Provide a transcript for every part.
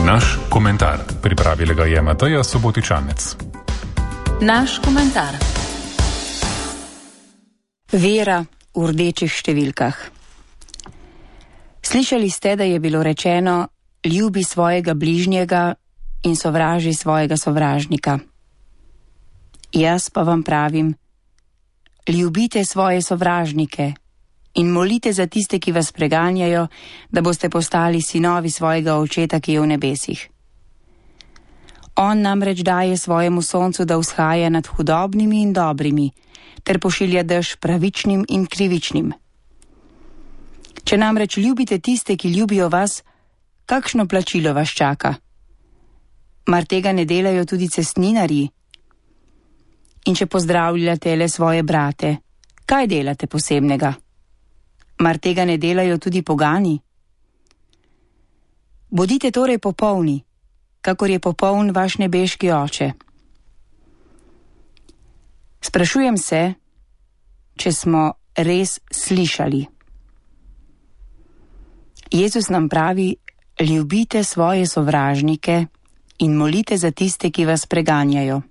Naš komentar. Pripravila ga je Mateja Subotičanec. Naš komentar. Vera v rdečih številkah. Slišali ste, da je bilo rečeno: ljubi svojega bližnjega in sovraži svojega sovražnika. Jaz pa vam pravim: ljubite svoje sovražnike in molite za tiste, ki vas preganjajo, da boste postali sinovi svojega očeta, ki je v nebesih. On namreč daje svojemu soncu, da vzhaja nad hudobnimi in dobrimi, ter pošilja dež pravičnim in krivičnim. Če namreč ljubite tiste, ki ljubijo vas, kakšno plačilo vas čaka? Mar tega ne delajo tudi cestninarji? In če pozdravljate le svoje brate, kaj delate posebnega? Mar tega ne delajo tudi pogani? Bodite torej popolni, kakor je popoln vaš nebeški oče. Sprašujem se, če smo res slišali. Jezus nam pravi: ljubite svoje sovražnike in molite za tiste, ki vas preganjajo.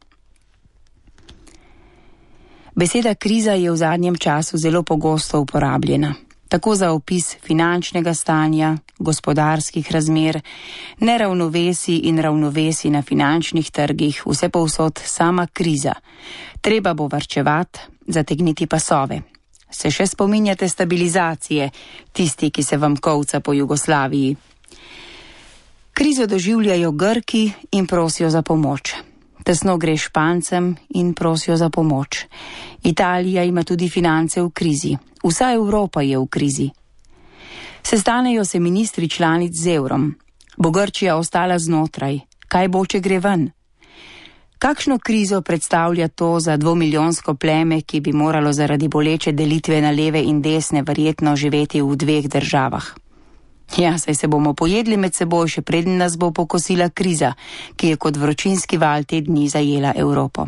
Beseda kriza je v zadnjem času zelo pogosto uporabljena, tako za opis finančnega stanja, gospodarskih razmer, neravnovesij in ravnovesij na finančnih trgih, vse povsod sama kriza. Treba bo varčevati, zategniti pasove. Se še spominjate stabilizacije, tisti, ki se vam kolca po Jugoslaviji? Krizo doživljajo Grki in prosijo za pomoč. Tesno gre Špancem in prosijo za pomoč. Italija ima tudi finance v krizi. Vsa Evropa je v krizi. Sestanejo se ministri članic z evrom. Bo Grčija ostala znotraj? Kaj bo, če gre ven? Kakšno krizo predstavlja to za 2-milijonsko pleme, ki bi moralo zaradi boleče delitve na leve in desne verjetno živeti v 2 državah? Ja, saj se bomo pojedli med seboj, še preden nas bo pokosila kriza, ki je kot vročinski val te dni zajela Evropo.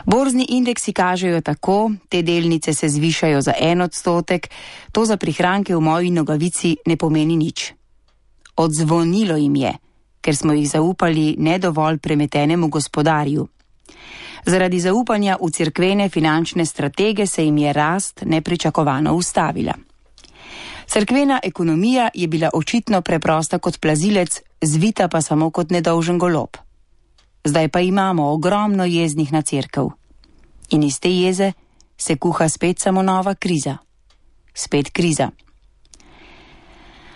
Borzni indeksi kažejo tako, te delnice se zvišajo za 1%, to za prihranke v moji Nogavici ne pomeni nič. Odzvonilo jim je, ker smo jih zaupali nedovolj premetenemu gospodarju. Zaradi zaupanja v cerkvene finančne stratege se jim je rast nepričakovano ustavila. Cerkvena ekonomija je bila očitno preprosta kot plazilec, zvita pa samo kot nedolžen golob. Zdaj pa imamo ogromno jeznih na cerkev. In iz te jeze se kuha spet samo nova kriza. Spet kriza.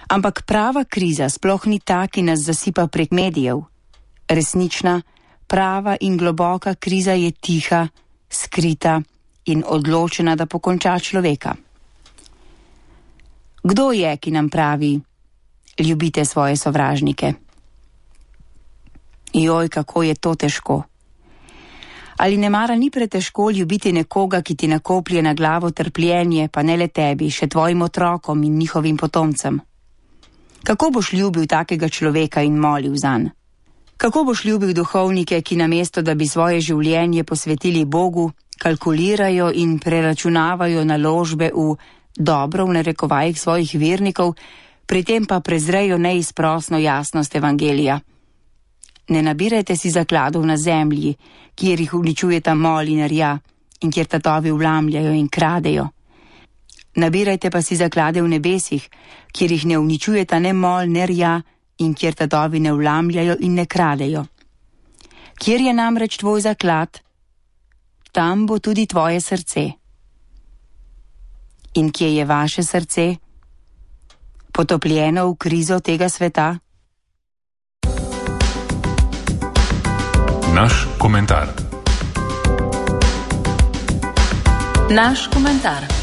Ampak prava kriza sploh ni ta, ki nas zasipa prek medijev. Resnična, prava in globoka kriza je tiha, skrita in odločena, da pokonča človeka. Kdo je, ki nam pravi: ljubite svoje sovražnike? Joj, kako je to težko. Ali nemara ni pretežko ljubiti nekoga, ki ti nakoplje na glavo trpljenje, pa ne le tebi, še tvojim otrokom in njihovim potomcem? Kako boš ljubil takega človeka in molil zanj? Kako boš ljubil duhovnike, ki namesto, da bi svoje življenje posvetili Bogu, kalkulirajo in preračunavajo naložbe v dobro v narekovajih svojih vernikov, pri tem pa prezrejo neizprosno jasnost evangelija? Ne nabirajte si zakladov na zemlji, kjer jih uničujeta mol in rja in kjer tatovi vlamljajo in kradejo. Nabirajte pa si zaklade v nebesih, kjer jih ne uničujeta ne mol ne rja in kjer tatovi ne vlamljajo in ne kradejo. Kjer je namreč tvoj zaklad, tam bo tudi tvoje srce. In kje je vaše srce? Potopljeno v krizo tega sveta? Naš komentar. Naš komentar.